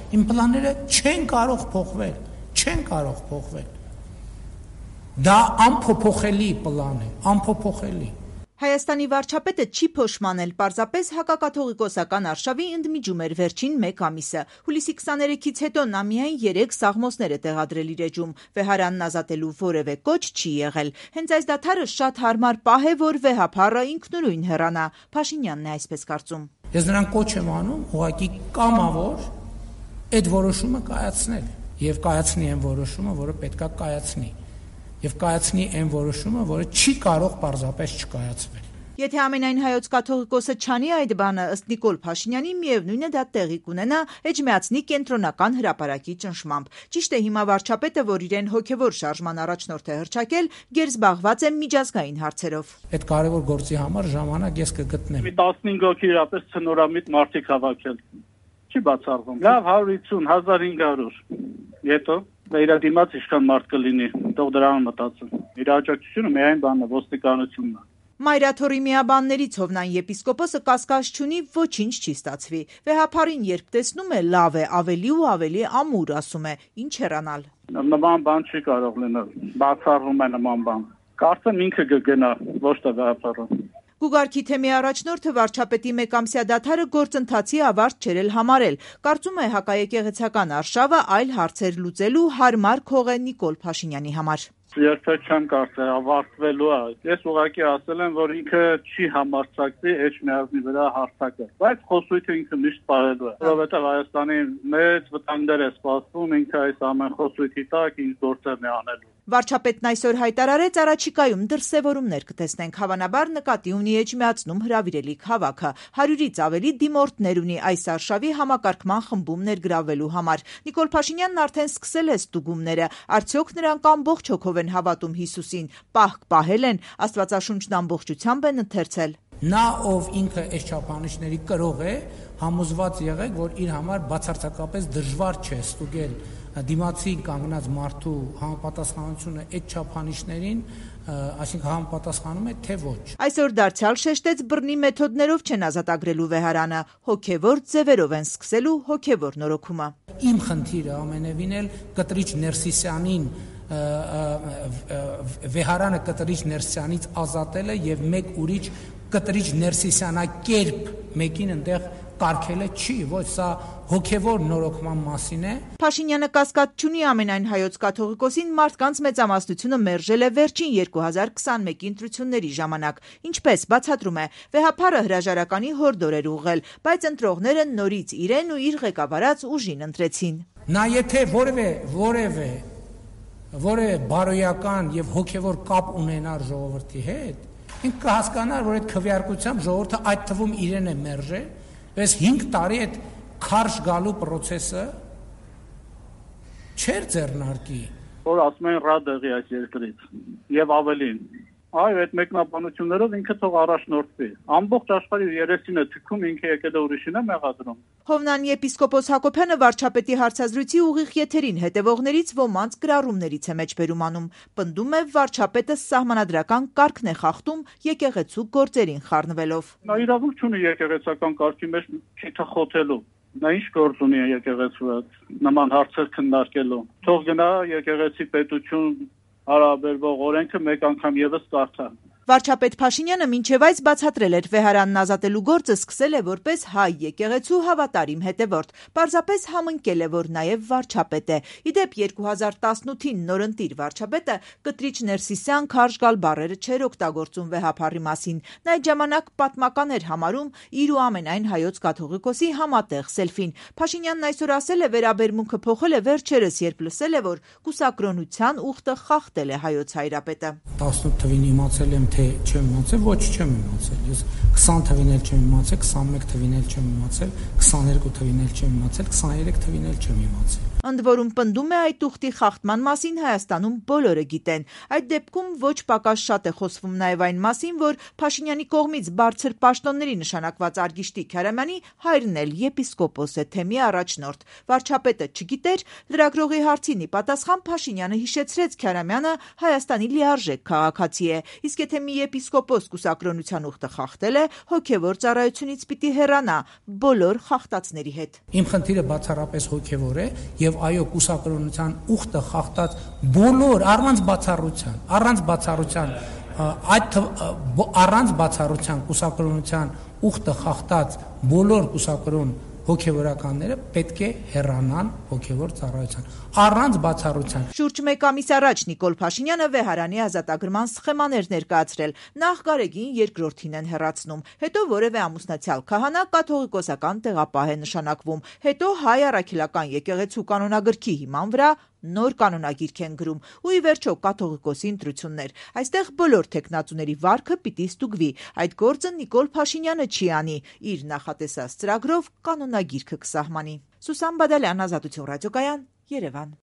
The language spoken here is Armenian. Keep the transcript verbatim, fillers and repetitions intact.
Իմ պլանները չեն կարող փոխվել, չեն կարող փոխվել։ Դա անփոփոխելի պլան է, անփոփոխելի։ Հայաստանի վարչապետը չի փոշմանել, պարզապես հակակաթողիկոսական արշավի ընդմիջում էր վերջին մեկ ամիսը։ Հուլիսի քսաներեքից հետո նա միայն երեք սաղմոսներ է տեղադրել իր էջում, վեհարանն ազատելու որևէ կոչ չի եղել։ Հենց այս դադարը շատ հարմար պահ է, որ վեհափառը ինքնուրույն հեռանա։ Փաշինյանն է այսպես կարծում։ Ես նրան կոչ եմ անում ուղղակի կամավոր այդ որոշումը կայացնել եւ կայացնի այն որոշումը, որը պետքա կայացնի։ Եվ կայացնի այն որոշումը, որը չի կարող պարզապես չկայացվել։ Եթե ամենայն հայոց կաթողիկոսը չանի այդ բանը, ըստ Նիկոլ Փաշինյանի, միևնույն է դա տեղի կունենա Էջմիածնի կենտրոնական հրապարակի ճնշմամբ։ Ճիշտ է, հիմա վարչապետը, որ իրեն հոգևոր շարժման առաջնորդ է հռչակել, գերզբաղված է միջազգային հարցերով։ Այդ կարևոր գործի համար ժամանակ ես կգտնեմ։ Մի տասնհինգ հոգի իրապես ցնորամիտ մարդիկ հավաքել։ Չի բացառվում։ Լավ հարյուր հիսուն հազար հինգ հարյուր։ Հետո իր դիմաց ինչքան մարդ կլինի, թող դրան մտածեն։ Իր աջակցությունը միայն բանն է, ոստիկանությունն է։ Մայրաթորի միաբաններից Հովնան եպիսկոպոսը կասկած չունի, ոչինչ չի ստացվի։ Վեհափառին երբ տեսնում է, լավ է, ավելի ու ավելի ամուր, ասում է, ինչ հեռանալ։ Նման բան չի կարող լինել, բացառվում է նման բան։ Կարծեմ ինքը կգնա, ոչ թե վեհափառը։ Գուգարքի թեմի առաջնորդը վարչապետի մեկամսյա դադարը գործընթացի ավարտ չէր էլ համարել։ Կարծում է հակաեկեղեցական արշավը այլ հարցեր լուծելու հարմար քող է Նիկոլ Փաշինյանի համար։ Երբեք չեմ կարծել ավարտվելու է։ Ես ուղղակի ասել եմ, որ ինքը չի համարձակվի Էջմիածնի վրա հարցակը, բայց խոսույթը ինքը միշտ պահելու է։ Որովհետև Հայաստանի մեծ վտանգներ է սպասվում, ինքը այս ամեն խոսույթի տակ ինչ գործերն է անելու։ Վարչապետն այսօր հայտարարեց առաջիկայում դրսևորումներ կտեսնենք, հավանաբար նկատի ունի Էջմիածնում հրավիրելիք հավաքը։ Հարյուրից ավելի դիմորդներ ունի այս արշավի համակարգման խմբում ներգրավվելու համար։ Նիկոլ Փաշինյանն արդեն սկսել է ստուգումները։ Արդյոք նրանք ամբողջ հոգով են հավատում Հիսուսին, պահք պահել են, Աստվածաշունչն ամբողջությամբ են ընթերցել։ Նա, ով ինքը այս չափանիշների կրող է, համոզված եղեք, որ իր համար բացարձակապես դժվար չէ ստուգել դիմացի կանգնած մարդու համապատասխանությունը այդ չափանիշներին, այսինքն համապատասխանում է թե ոչ։ Այսօր դարձյալ շեշտեց բռնի մեթոդներով չեն ազատագրելու վեհարանը, հոգևոր ձևերով են սկսելու հոգևոր նորոգումը։ Իմ խնդիրը ամենևին էլ Կտրիչ Ներսիսյանին վեհարանը Կտրիչ Ներսիսյանից ազատելը եւ մեկ ուրիշ Կտրիչ Ներսիսյանակերպ մեկին այնտեղ կարգելը չի, ոչ սա հոգևոր նորոգման մասին է։ Փաշինյանը կասկած չունի ամենայն հայոց կաթողիկոսին մարդկանց մեծամասնությունը մերժել է վերջին երկու հազար քսանմեկի ընտրությունների ժամանակ։ Ինչպես բացատրում է, վեհափառը հրաժարականի հորդոր էր ուղղել, բայց ընտրողները նորից իրեն ու իր ղեկավարած ուժին ընտրեցին։ Նա եթե որևէ որևէ որևէ բարոյական եւ հոգևոր կապ ունենար ժողովրդի հետ, ինքը կհասկանար, որ այդ քվեարկությամբ ժողովուրդը այդ թվում իրեն է մերժել, բայց հինգ տարի այդ քարշ գալու process-ը չէր ձեռնարկի, որ ասում են ռա դեղի այս երկրից եւ ավելին։ Այո, այդ մեկնաբանություններով ինքը թող առաջնորդվի։ Ամբողջ աշխարհի երեսին է թքում, ինքը եկել է ուրիշին է մեղադրում։ Հովնան եպիսկոպոս Հակոբյանը վարչապետի հարցազրույցի ուղիղ եթերին հետևողներից ոմանց գրառումներից է մեջբերում անում։ Պնդում է վարչապետը սահմանադրական կարգն է խախտում եկեղեցու գործերին խառնվելով։ Նա իրավունք չունի եկեղեցական կարգի մեջ քիթը խոթելու։ Նա ինչ գործ ունի եկեղեցու հետ նման հարցեր քննարկելու։ Թող գնա եկեղեցի պետություն հարաբերվող օրենքը մեկ անգամ եւս կարդա։ Վարչապետ Փաշինյանը մինչև այս բացատրել էր վեհարանն ազատելու գործը սկսել է որպես հայ եկեղեցու հավատարիմ հետևորդ, պարզապես համընկել է, որ նաև վարչապետ է։ Իդեպ երկու հազար տասնութին նորընտիր վարչապետը Կտրիչ Ներսիսյան քարշ գալ բառերը չէր օգտագործում վեհափառի մասին։ Նա այդ ժամանակ պատմական էր համարում իր ու ամենայն հայոց կաթողիկոսի համատեղ սելֆին։ Փաշինյանն այսօր ասել է վերաբերմունքը փոխել է վերջերս, երբ լսել է, որ կուսակրոնության ուխտը խախտել է հայոց հայրապետը։ տասնութ թվին իմացել եմ թե չեմ իմացել, ոչ չեմ իմացել։ Ես քսան թվին էլ չեմ իմացել, քսանմեկ թվին էլ չեմ իմացել, քսաներկու թվին էլ չեմ իմացել, քսաներեք թվին էլ չեմ իմացել։ Ընդ որում պնդում է այդ ուխտի խախտման մասին Հայաստանում բոլորը գիտեն։ Այդ դեպքում ոչ պակաս շատ է խոսվում նաև այն մասին, որ Փաշինյանի կողմից բարձր պաշտոնների նշանակված Արգիշտի Քարամյանի հայրն էլ եպիսկոպոս է, թեմի առաջնորդ։ Վարչապետը չգիտեր, լրագրողի հարցին ի պատասխան Փաշինյանը հիշեցրեց Քարամյանը Հայաստանի լիարժեք քաղաքացի է, իսկ եթե եթե մի եպիսկոպոս կուսակրոնության ուխտը խախտել է, հոգևոր ծառայությունից պիտի հեռանա բոլոր խախտածների հետ։ Իմ խնդիրը բացառապես հոգևոր է եւ այո, կուսակրոնության ուխտը խախտած բոլոր առանց բացառության, առանց բացառության այդ առանց բացառության կուսակրոնության ուխտը խախտած բոլոր կուսակրոն հոգևորականները պետք է հեռանան հոգևոր ծառայության առանց բացառության։ Շուրջ մեկ ամիս առաջ Նիկոլ Փաշինյանը Վեհարանի ազատագրման սխեմաներ ներկայացրել։ Նախ Գարեգին երկրորդին են հեռացնում, հետո որևէ ամուսնացյալ քահանա կաթողիկոսական տեղապահ է նշանակվում, հետո հայ առաքելական եկեղեցու կանոնագրքի հիման վրա նոր կանոնագիրք են գրում ու ի վերջո կաթողիկոսի ընտրություններ։ Այստեղ բոլոր թեկնածուների վարքը պիտի ստուգվի։ Այդ գործը Նիկոլ Փաշինյանը չի անի, իր նախատեսած ծրագրով կանոնագիրքը կսահմանի։ Սուսան Բադալյան, Ազատություն ռադիոկայան, Երևան։